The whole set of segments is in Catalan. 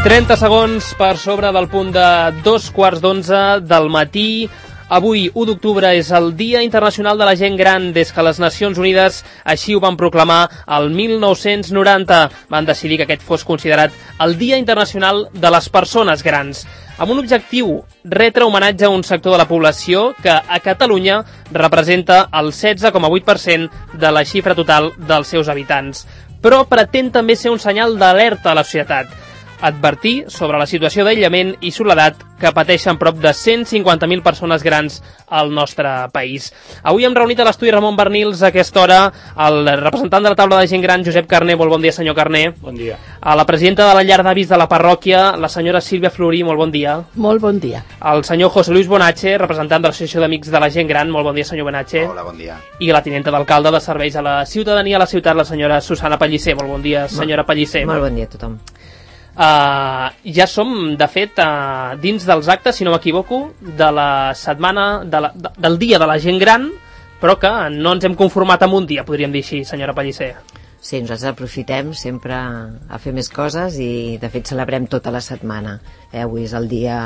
30 segons per sobre del punt de 2:15 del matí. Avui, 1 d'octubre, és el Dia Internacional de la Gent Gran. Des que les Nacions Unides així ho van proclamar el 1990. Van decidir que aquest fos considerat el Dia Internacional de les Persones Grans, amb un objectiu: retre homenatge a un sector de la població que a Catalunya representa el 16,8% de la xifra total dels seus habitants. Però pretén també ser un senyal d'alerta a la societat, advertir sobre la situació d'aïllament i soledat que pateixen prop de 150.000 persones grans al nostre país. Avui hem reunit a l'estudi Ramon Bernils a aquesta hora el representant de la taula de gent gran, Josep Carné. Molt bon dia, senyor Carné. Bon dia. A la presidenta de la llar d'avis de la parròquia, la senyora Sílvia Florí. Molt bon dia. Molt bon dia. El senyor José Luis Bonache, representant de l'Associació d'Amics de la Gent Gran. Molt bon dia, senyor Bonache. Hola, bon dia. I la tinenta d'alcalde de Serveis a la Ciutadania a la ciutat, la senyora Susana Pellicer. Molt bon dia, senyora Pellicer. Molt bon dia a tothom. Ja som, de fet, dins dels actes, si no m'equivoco, de la setmana del Dia de la Gent Gran, però que no ens hem conformat amb un dia, podríem dir així, senyora Pellicer. Sí, nosaltres aprofitem sempre a fer més coses i, de fet, celebrem tota la setmana. Avui és el dia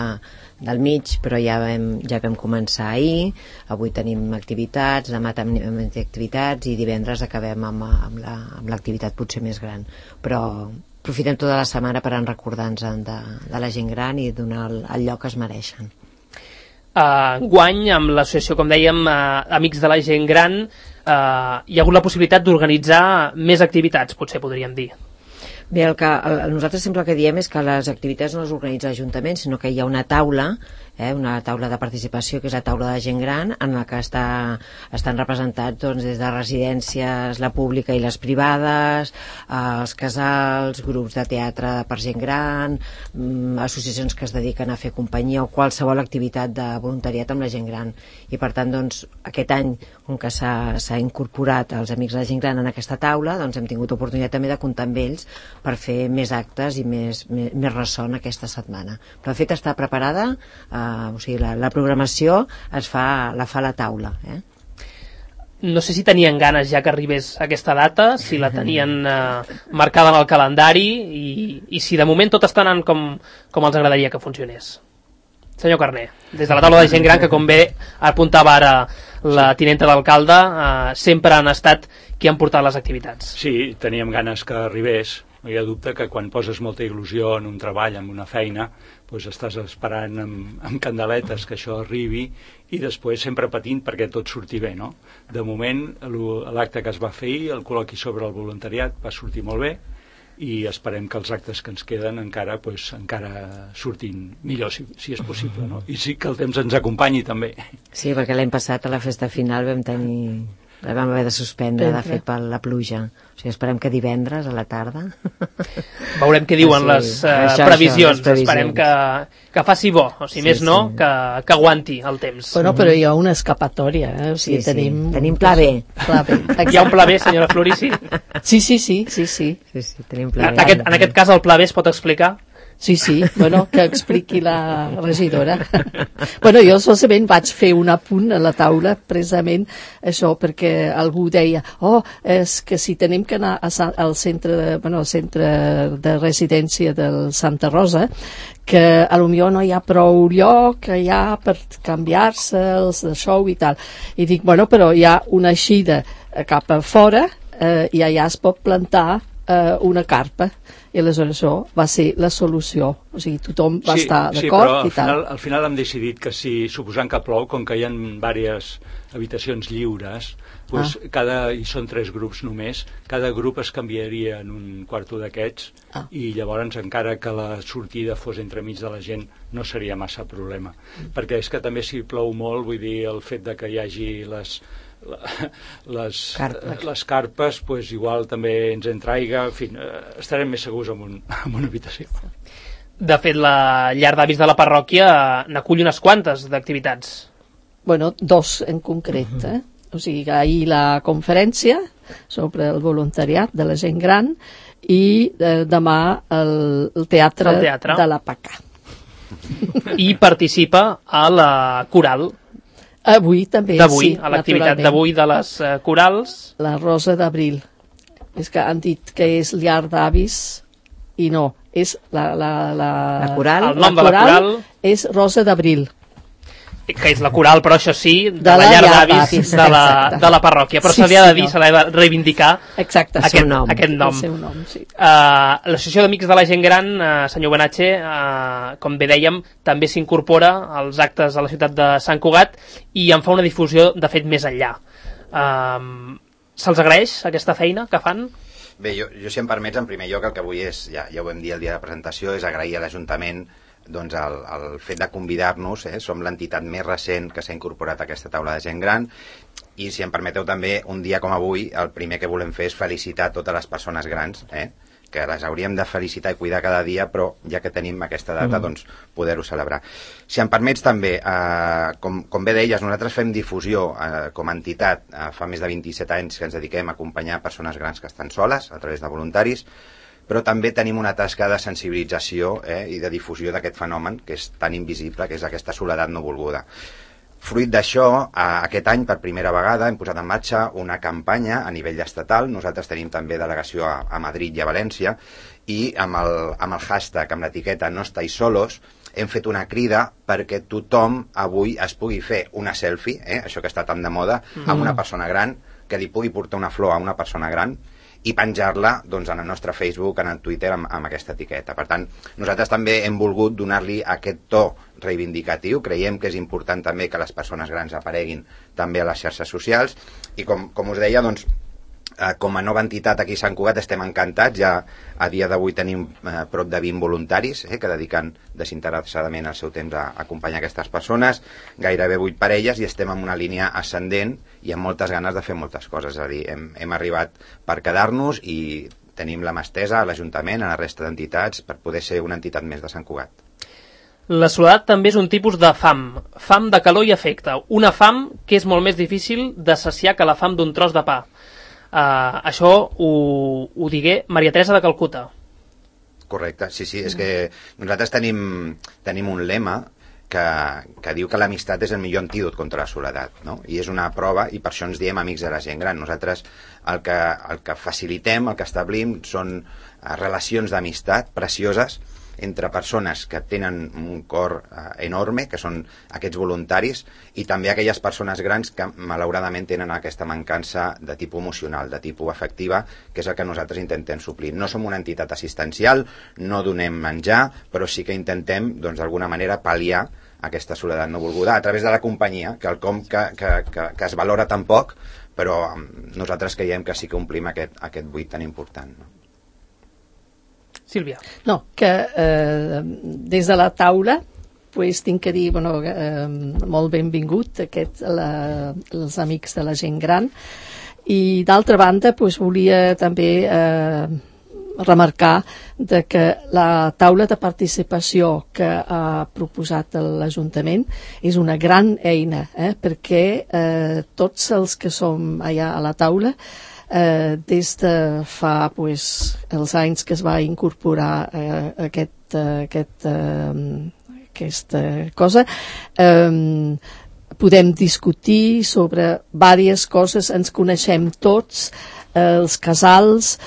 del mig, però ja vam començar ahir. Avui tenim activitats, demà tenim activitats i divendres acabem amb l'activitat potser més gran. Però aprofitem tota la setmana per recordar-nos de la gent gran i donar el lloc que es mereixen. Guany, amb l'associació, com dèiem, Amics de la Gent Gran, hi ha hagut la possibilitat d'organitzar més activitats, potser podríem dir. Bé, nosaltres sempre el que diem és que les activitats no les organitza l'Ajuntament, sinó que hi ha una taula de participació, que és la taula de gent gran, en la que estan representats des de residències, la pública i les privades, els casals, grups de teatre per gent gran, associacions que es dediquen a fer companyia o qualsevol activitat de voluntariat amb la gent gran. I per tant, aquest any, com que s'ha incorporat els Amics de la Gent Gran en aquesta taula, hem tingut oportunitat també de comptar amb ells per fer més actes i més ressò aquesta setmana. Però de fet està preparada, o sigui, la programació la fa la taula. No sé si tenien ganes ja que arribés aquesta data, si la tenien marcada en el calendari i si de moment tot està anant com els agradaria que funcionés. Senyor Carné, des de la taula de gent gran, que com bé apuntava ara la tinenta d'alcalde, sempre han estat qui han portat les activitats. Sí, teníem ganes que arribés. No hi ha dubte que quan poses molta il·lusió en un treball, en una feina, estàs esperant amb candeletes que això arribi i després sempre patint perquè tot surti bé, no? De moment, l'acte que es va fer ahir, el col·loqui sobre el voluntariat, va sortir molt bé i esperem que els actes que ens queden encara surtin millor, si és possible, no? I sí que el temps ens acompanyi també. Sí, perquè l'any passat a la festa final vam haver de suspendre, de fet, per la pluja. O sigui, esperem que divendres a la tarda... Veurem què diuen les previsions. Esperem que faci bo, o sigui, més no, que aguanti el temps. Bueno, però hi ha una escapatòria, o sigui, tenim pla B. Hi ha un pla B, senyora Florí, sí? Sí, tenim pla B. En aquest cas el pla B es pot explicar? Sí, bueno, que expliqui la regidora. Bueno, jo solament vaig fer un apunt a la taula, precisament això, perquè algú deia, és que si tenim que anar al centre de residència del Santa Rosa, que potser no hi ha prou lloc allà per canviar-se els de show i tal. I dic, bueno, però hi ha una eixida cap a fora i allà es pot plantar una carpa. I aleshores això va ser la solució, o sigui, tothom va estar d'acord i tal. Però al final hem decidit que si, suposant que plou, com que hi ha diverses habitacions lliures, i són 3 grups només, cada grup es canviaria en un quarto d'aquests i llavors encara que la sortida fos entremig de la gent no seria massa problema. Perquè és que també si plou molt, vull dir, el fet de que hi hagi les carpes, igual també ens entra aigua, en fi, estarem més segurs en una habitació. De fet, la llar d'avis de la parròquia n'acull unes quantes d'activitats. Bueno, 2 en concret, O sigui, ahir la conferència sobre el voluntariat de la gent gran i demà el teatre de la PACA. I participa a la coral. Avui també, sí. A l'activitat d'avui de les corals. La Rosa d'Abril. És que han dit que és llar d'avis i no, és La coral. El nom de la coral és Rosa d'Abril, que és la coral, però això sí, de De la la llar llar d'avis d'avis, de la parròquia. Però Sí, se li ha de sí, dir, no. se li ha de reivindicar exacte, aquest nom. nom. el seu nom, sí. L'Associació d'Amics de la Gent Gran, senyor Benatge, com bé dèiem, també s'incorpora als actes a la ciutat de Sant Cugat i en fa una difusió, de fet, més enllà. Se'ls agraeix aquesta feina que fan? Bé, jo si em permets, en primer lloc, el que vull és, ja ho vam dir el dia de presentació, és agrair a l'Ajuntament doncs el fet de convidar-nos, som l'entitat més recent que s'ha incorporat a aquesta taula de gent gran, i si em permeteu també, un dia com avui, el primer que volem fer és felicitar totes les persones grans, que les hauríem de felicitar i cuidar cada dia, però ja que tenim aquesta data, doncs poder-ho celebrar. Si em permets també, com bé deies, nosaltres fem difusió com a entitat, fa més de 27 anys que ens dediquem a acompanyar persones grans que estan soles, a través de voluntaris, però també tenim una tasca de sensibilització i de difusió d'aquest fenomen que és tan invisible, que és aquesta soledat no volguda. Fruit d'això, aquest any per primera vegada hem posat en marxa una campanya a nivell estatal. Nosaltres tenim també delegació a Madrid i a València, i amb el hashtag, amb l'etiqueta No estáis solos, hem fet una crida perquè tothom avui es pugui fer una selfie, això que està tan de moda, amb una persona gran, que li pugui portar una flor a una persona gran i penjar-la doncs, en el nostre Facebook, en el Twitter, amb aquesta etiqueta. Per tant, nosaltres també hem volgut donar-li aquest to reivindicatiu. Creiem que és important també que les persones grans apareguin també a les xarxes socials, i com us deia, doncs, com a nova entitat aquí a Sant Cugat estem encantats. Ja a dia d'avui tenim prop de 20 voluntaris que dediquen desinteressadament el seu temps a acompanyar aquestes persones, gairebé 8 parelles, i estem en una línia ascendent i amb moltes ganes de fer moltes coses. És a dir, hem arribat per quedar-nos i tenim la mà estesa a l'Ajuntament, a la resta d'entitats, per poder ser una entitat més de Sant Cugat. La soledat també és un tipus de fam de calor i afecte, una fam que és molt més difícil de saciar que la fam d'un tros de pa. Això ho digué Maria Teresa de Calcuta. Correcte, sí, és que nosaltres tenim un lema que diu que l'amistat és el millor antídot contra la soledat, no? I és una prova, i per això ens diem amics de la gent gran. Nosaltres el que facilitem, el que establim, són relacions d'amistat precioses entre persones que tenen un cor enorme, que són aquests voluntaris, i també aquelles persones grans que malauradament tenen aquesta mancança de tipus emocional, de tipus afectiva, que és el que nosaltres intentem suplir. No som una entitat assistencial, no donem menjar, però sí que intentem, doncs, d'alguna manera, pal·liar aquesta soledat no volguda a través de la companyia, quelcom que es valora tan poc, però nosaltres creiem que sí que omplim aquest buit tan important, no? Sílvia. No, que des de la taula tinc que dir, molt benvingut els amics de la gent gran, i d'altra banda volia també remarcar que la taula de participació que ha proposat l'Ajuntament és una gran eina, perquè tots els que som allà a la taula, des de fa els anys que es va incorporar aquesta cosa, podem discutir sobre diverses coses, ens coneixem tots, els casals,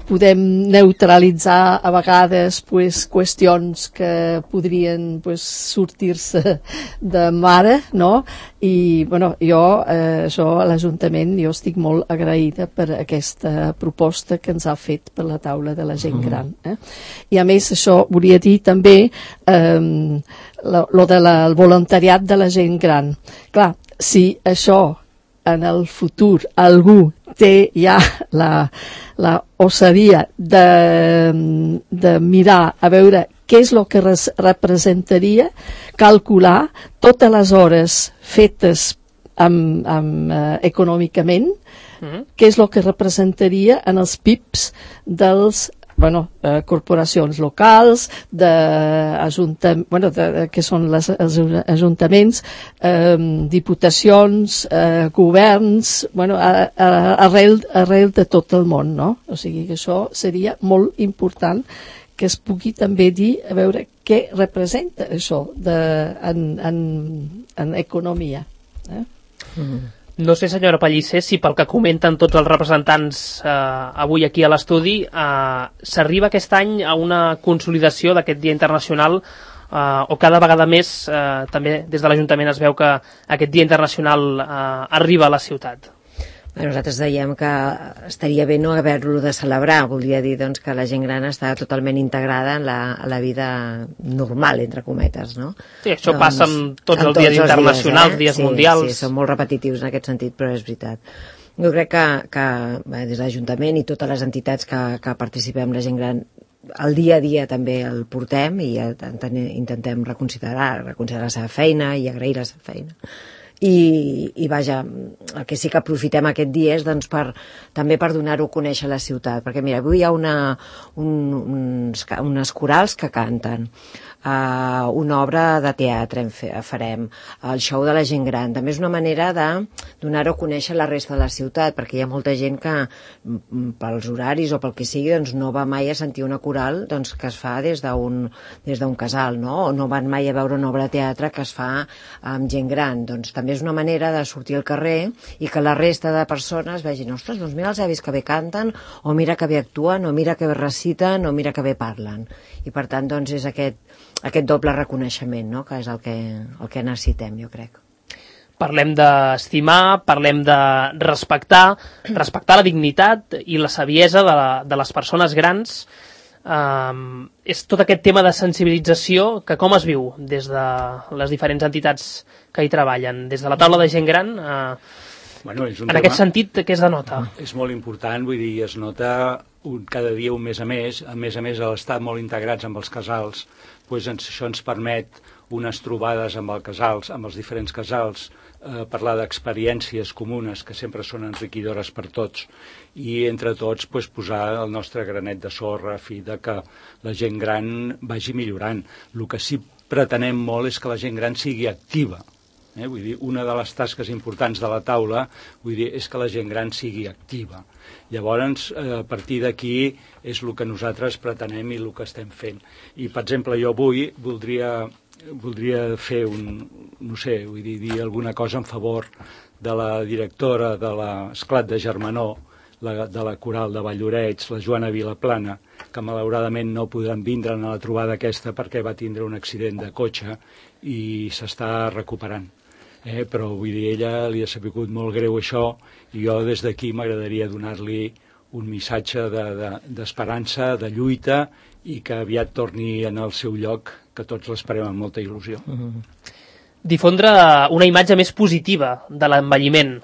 podem neutralitzar a vegades qüestions que podrien sortir-se de mare, no? I jo a l'Ajuntament estic molt agraïda per aquesta proposta que ens ha fet per la taula de la gent gran. I a més això volia dir també lo del voluntariat de la gent gran. Clar, si això en el futur algú té ja la ossadia de mirar a veure què és el que representaria calcular totes les hores fetes econòmicament, què és el que representaria en els PIBs dels corporacions locals, que són els ajuntaments, diputacions, governs, arrel de tot el món, no? O sigui que això seria molt important que es pugui també dir a veure què representa això en economia. No sé, senyora Pellicer, si pel que comenten tots els representants avui aquí a l'estudi s'arriba aquest any a una consolidació d'aquest Dia Internacional o cada vegada més també des de l'Ajuntament es veu que aquest Dia Internacional arriba a la ciutat. Nosaltres dèiem que estaria bé no haver-lo de celebrar, voldria dir doncs, que la gent gran està totalment integrada en la vida normal, entre cometes, no? Sí, això passa amb tots els dies internacionals, dies mundials. Sí, són molt repetitius en aquest sentit, però és veritat. Jo crec que des de l'Ajuntament i totes les entitats que participem la gent gran, el dia a dia també el portem i intentem reconsiderar la seva feina i agrair la seva feina. I vaja, el que sí que aprofitem aquest dia és doncs, també per donar-ho a conèixer a la ciutat, perquè mira, avui hi ha unes corals que canten, una obra de teatre farem, el show de la gent gran, també és una manera de donar-ho a conèixer a la resta de la ciutat, perquè hi ha molta gent que pels horaris o pel que sigui doncs, no va mai a sentir una coral doncs, que es fa des d'un casal, no? O no van mai a veure una obra de teatre que es fa amb gent gran, doncs també és una manera de sortir al carrer i que la resta de persones vegin, ostres, doncs mira els avis que bé canten, o mira que bé actuen, o mira que bé reciten, o mira que bé parlen. I per tant, doncs, és aquest doble reconeixement, no?, que és el que necessitem, jo crec. Parlem d'estimar, parlem de respectar la dignitat i la saviesa de les persones grans. És tot aquest tema de sensibilització que com es viu des de les diferents entitats que hi treballen, des de la taula de gent gran, en aquest sentit, què es denota? És molt important, vull dir, es nota cada dia un més a més a l'estar molt integrats amb els casals, doncs això ens permet unes trobades amb els diferents casals, parlar d'experiències comunes que sempre són enriquidores per tots i entre tots posar el nostre granet de sorra a fi de que la gent gran vagi millorant. El que sí pretenem molt és que la gent gran sigui activa. Vull dir, una de les tasques importants de la taula és que la gent gran sigui activa. Llavors, a partir d'aquí és el que nosaltres pretenem i el que estem fent. I, per exemple, jo avui voldria fer dir alguna cosa en favor de la directora de l'Esclat de Germanó, de la Coral de Valloreig, la Joana Vilaplana, que malauradament no podran vindre a la trobada aquesta perquè va tindre un accident de cotxe i s'està recuperant. Però vull dir, ella li ha sabut molt greu això i jo des d'aquí m'agradaria donar-li un missatge d'esperança, de lluita i que aviat torni en el seu lloc, que tots l'esperem amb molta il·lusió. Difondre una imatge més positiva de l'envelliment,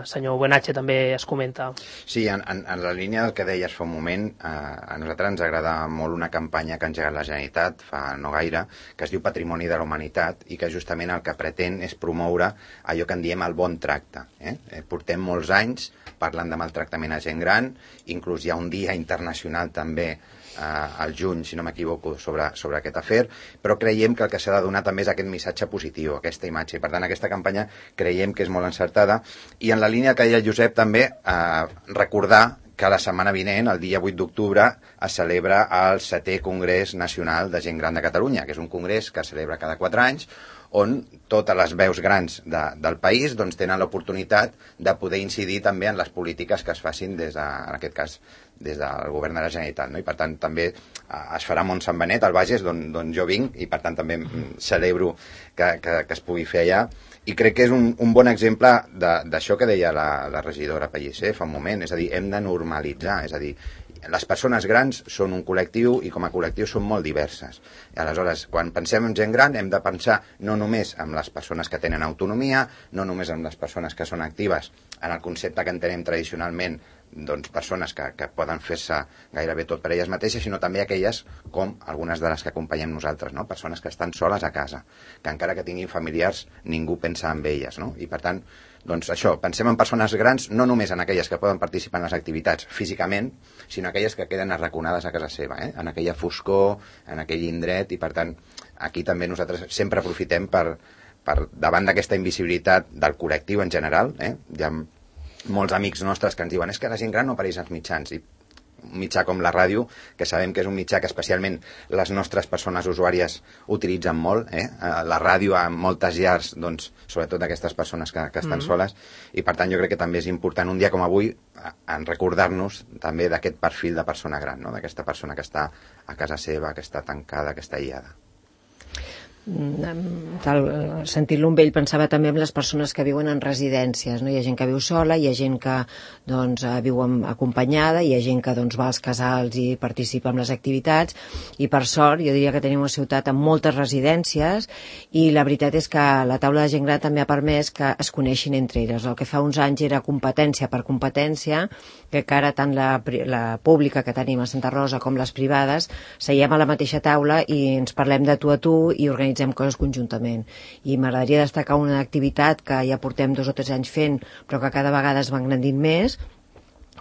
senyor Buenatge, també es comenta. Sí, en la línia del que deies fa un moment, a nosaltres ens agrada molt una campanya que ha engegat la Generalitat fa no gaire, que es diu Patrimoni de la Humanitat i que justament el que pretén és promoure allò que en diem el bon tracte. Portem molts anys parlant de maltractament a gent gran, inclús hi ha un dia internacional també al juny, si no m'equivoco, sobre aquest afer, però creiem que el que s'ha de donar també és aquest missatge positiu, aquesta imatge, i per tant aquesta campanya creiem que és molt encertada, i en la línia que deia el Josep també recordar que la setmana vinent, el dia 8 d'octubre, es celebra el 7è Congrés Nacional de Gent Gran de Catalunya, que és un congrés que es celebra cada 4 anys, on totes les veus grans del país tenen l'oportunitat de poder incidir també en les polítiques que es facin en aquest cas des del govern de la Generalitat, no? I per tant també es farà a Montsant Benet, al Bages, d'on jo vinc, i per tant també celebro que es pugui fer allà, i crec que és un bon exemple d'això que deia la regidora Pellicer fa un moment, és a dir, hem de normalitzar, és a dir, les persones grans són un col·lectiu i com a col·lectiu són molt diverses. I aleshores, quan pensem en gent gran, hem de pensar no només en les persones que tenen autonomia, no només en les persones que són actives, en el concepte que entenem tradicionalment, doncs persones que poden fer-se gairebé tot per elles mateixes, sinó també aquelles com algunes de les que acompanyem nosaltres, no? Persones que estan soles a casa, que encara que tinguin familiars ningú pensa en elles, no? I per tant, doncs això, pensem en persones grans no només en aquelles que poden participar en les activitats físicament, sinó aquelles que queden arraconades a casa seva, en aquella foscor, en aquell indret, i per tant aquí també nosaltres sempre aprofitem per davant d'aquesta invisibilitat del col·lectiu en general, hi ha molts amics nostres que ens diuen és que la gent gran no apareix als mitjans, i un mitjà com la ràdio, que sabem que és un mitjà que especialment les nostres persones usuàries utilitzen molt, la ràdio a moltes llars, doncs, sobretot aquestes persones que estan soles, i per tant jo crec que també és important un dia com avui en recordar-nos també d'aquest perfil de persona gran, no? D'aquesta persona que està a casa seva, que està tancada, que està aïllada. Sentint-lo amb ell pensava també en les persones que viuen en residències, no? Hi ha gent que viu sola, hi ha gent que doncs, viu acompanyada, hi ha gent que doncs, va als casals i participa en les activitats, i per sort jo diria que tenim una ciutat amb moltes residències, i la veritat és que la taula de gent gran també ha permès que es coneixin entre elles. El que fa uns anys era competència per competència, que ara tant la pública que tenim a Santa Rosa com les privades seiem a la mateixa taula i ens parlem de tu a tu i organitzem coses conjuntament. I m'agradaria destacar una activitat que ja portem 2 o 3 anys fent, però que cada vegada es va engrandint més,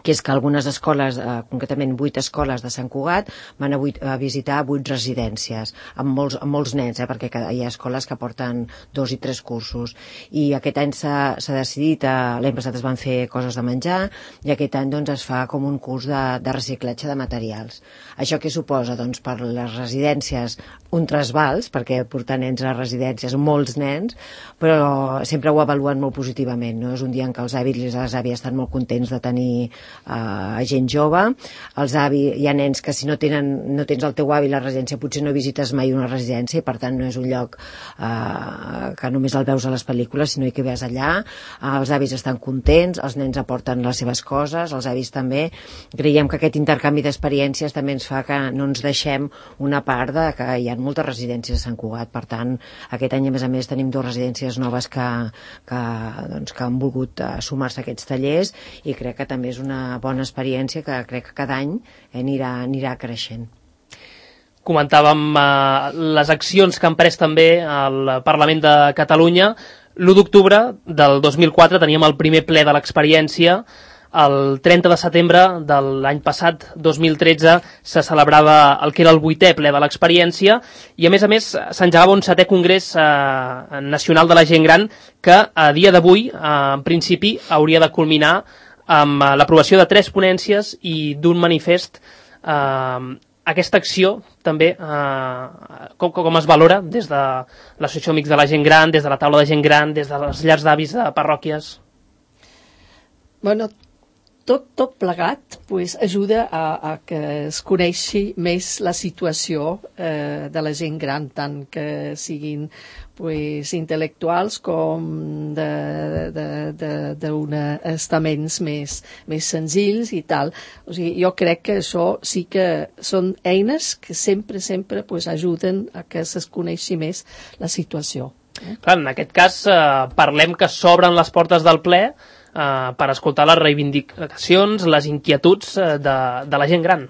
que és que algunes escoles, concretament 8 escoles de Sant Cugat, van a visitar 8 residències, amb molts nens, perquè hi ha escoles que porten 2 i 3 cursos. I aquest any s'ha decidit, l'any passat es van fer coses de menjar, i aquest any doncs, es fa com un curs de reciclatge de materials. Això què suposa? Doncs per les residències un trasbals, perquè portar nens a les residències, molts nens, però sempre ho avaluen molt positivament, no? És un dia en què els avis i les àvies estan molt contents de tenir gent jove. Els avis, hi ha nens que si no tens el teu avi a la residència potser no visites mai una residència, i per tant no és un lloc que només el veus a les pel·lícules, sinó que vas allà. Els avis estan contents, els nens aporten les seves coses, els avis també. Creiem que aquest intercanvi d'experiències també ens fa que no ens deixem una part de que hi ha moltes residències a Sant Cugat. Per tant, aquest any a més tenim 2 residències noves que han volgut sumar-se a aquests tallers, i crec que també és una bona experiència que crec que cada any anirà creixent. Comentàvem les accions que han pres també al Parlament de Catalunya. L'1 d'octubre del 2004 teníem el primer ple de l'experiència. El 30 de setembre de l'any passat, 2013, se celebrava el que era el 8è ple de l'experiència, i a més s'engegava un 7è congrés nacional de la gent gran que a dia d'avui, en principi, hauria de culminar amb l'aprovació de 3 ponències i d'un manifest. Aquesta acció també com es valora des de l'Associació Amics de la Gent Gran, des de la taula de gent gran, des de les llars d'avis de parròquies? Bueno, tot plegat pues, ajuda a que es coneixi més la situació de la gent gran, tant que siguin pues, intel·lectuals com d'uns estaments més senzills i tal. O sigui, jo crec que això sí que són eines que sempre pues, ajuden a que es coneixi més la situació. Clar, en aquest cas parlem que s'obren les portes del ple per escoltar les reivindicacions, les inquietuds de la gent gran.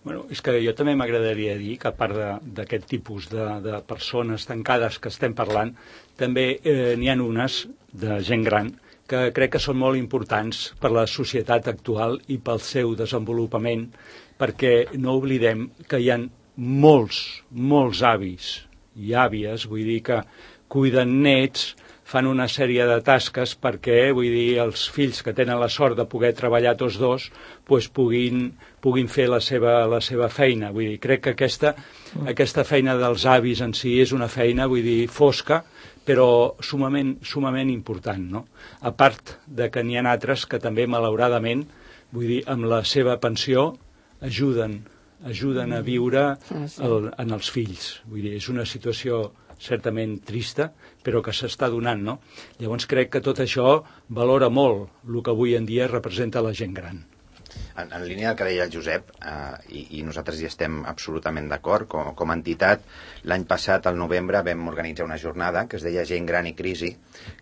Bueno, és que jo també m'agradaria dir que a part d'aquest tipus de persones tancades que estem parlant, també n'hi ha unes de gent gran que crec que són molt importants per la societat actual i pel seu desenvolupament, perquè no oblidem que hi ha molts avis i àvies, vull dir que cuiden nets, fan una sèrie de tasques perquè, vull dir, els fills que tenen la sort de poder treballar tots dos pues, puguin fer la seva feina. Vull dir, crec que aquesta feina dels avis en si és una feina, vull dir, fosca, però sumament important, no? A part de que n'hi ha altres que també, malauradament, vull dir, amb la seva pensió ajuden a viure en els fills. Vull dir, és una situació certament trista, però que s'està donant, no? Llavors crec que tot això valora molt el que avui en dia representa la gent gran. En línia del que deia el Josep, i nosaltres hi estem absolutament d'acord, com a entitat, l'any passat, al novembre, vam organitzar una jornada que es deia Gent Gran i Crisi,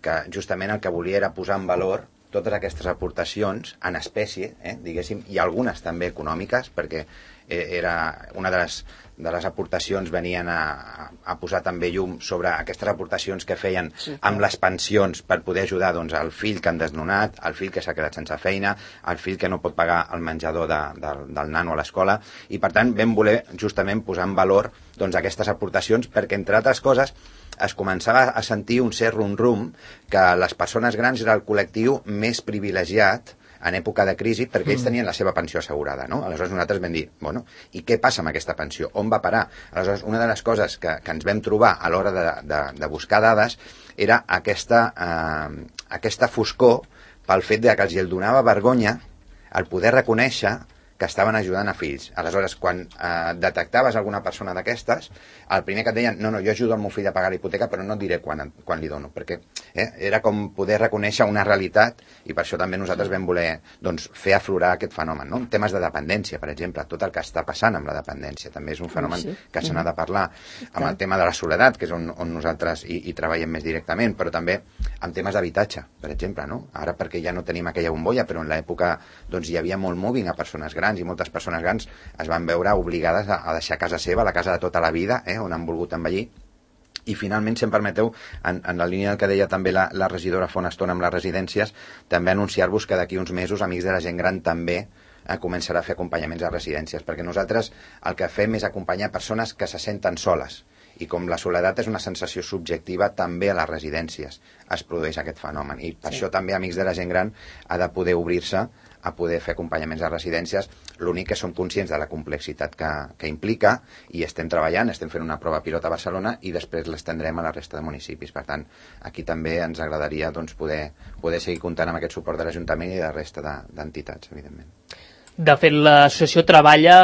que justament el que volia era posar en valor totes aquestes aportacions en espècie, diguéssim, i algunes també econòmiques, perquè era una de les aportacions venien a posar també llum sobre aquestes aportacions que feien amb les pensions per poder ajudar doncs, el fill que han desnonat, el fill que s'ha quedat sense feina, el fill que no pot pagar el menjador del nano a l'escola, i per tant vam voler justament posar en valor doncs, aquestes aportacions perquè, entre altres coses, es començava a sentir un cert rum-rum que les persones grans era el col·lectiu més privilegiat en època de crisi, perquè ells tenien la seva pensió assegurada, no? Aleshores nosaltres vam dir, bueno, i què passa amb aquesta pensió? On va parar? Aleshores, una de les coses que ens vam trobar a l'hora de buscar dades era aquesta foscor pel fet que els donava vergonya el poder reconèixer que estaven ajudant a fills. Aleshores, quan detectaves alguna persona d'aquestes, el primer que et deien, no, jo ajudo el meu fill a pagar la hipoteca, però no et diré quan li dono, perquè era com poder reconèixer una realitat, i per això també nosaltres vam voler fer aflorar aquest fenomen, no? Temes de dependència, per exemple, tot el que està passant amb la dependència, també és un fenomen que se n'ha de parlar, amb el tema de la soledat, que és on nosaltres hi treballem més directament, però també amb temes d'habitatge, per exemple, no? Ara perquè ja no tenim aquella bombolla, però en l'època hi havia molt moving a persones grans, i moltes persones grans es van veure obligades a deixar casa seva, la casa de tota la vida, on han volgut envellir. I finalment, si em permeteu, en la línia del que deia també la regidora fa una estona amb les residències, també anunciar-vos que d'aquí uns mesos Amics de la Gent Gran també començarà a fer acompanyaments a residències, perquè nosaltres el que fem és acompanyar persones que se senten soles, i com la soledat és una sensació subjectiva, també a les residències es produeix aquest fenomen, i per això també Amics de la Gent Gran ha de poder obrir-se a poder fer acompanyaments a residències. L'únic que som conscients de la complexitat que implica, i estem treballant, estem fent una prova pilot a Barcelona i després l'estendrem a la resta de municipis. Per tant, aquí també ens agradaria poder seguir comptant amb aquest suport de l'Ajuntament i de la resta d'entitats, evidentment. De fet, l'associació treballa,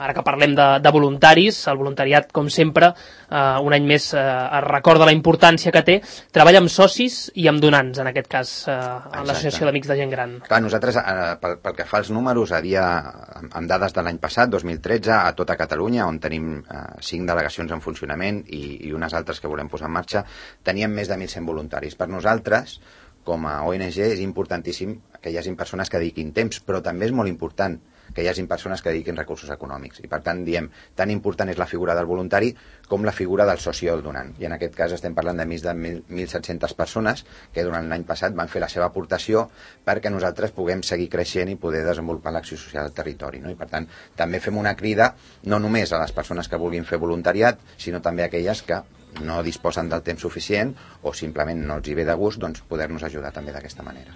ara que parlem de voluntaris, el voluntariat, com sempre, un any més es recorda la importància que té, treballa amb socis i amb donants, en aquest cas, en l'Associació d'Amics de Gent Gran. Clar, nosaltres, pel que fa als números, amb dades de l'any passat, 2013, a tota Catalunya, on tenim 5 delegacions en funcionament i unes altres que volem posar en marxa, teníem més de 1.100 voluntaris. Per nosaltres, com a ONG, és importantíssim que hi hagin persones que dediquin temps, però també és molt important que hi hagin persones que dediquin recursos econòmics. I per tant, diem, tan important és la figura del voluntari com la figura del soci o el donant. I en aquest cas estem parlant de més de 1.700 persones que durant l'any passat van fer la seva aportació perquè nosaltres puguem seguir creixent i poder desenvolupar l'acció social al territori, no? I per tant, també fem una crida no només a les persones que vulguin fer voluntariat, sinó també a aquelles que no disposen del temps suficient o simplement no els hi ve de gust, poder-nos ajudar també d'aquesta manera.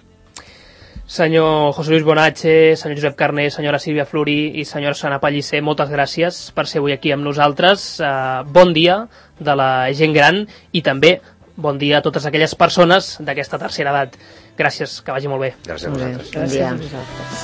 Senyor José Luis Bonache, senyor Josep Carné, senyora Sílvia Florí i senyora Sana Pellicer, moltes gràcies per ser avui aquí amb nosaltres. Bon dia de la gent gran i també bon dia a totes aquelles persones d'aquesta tercera edat. Gràcies, que vagi molt bé. Gràcies a vosaltres. Bon dia. Gràcies a vosaltres.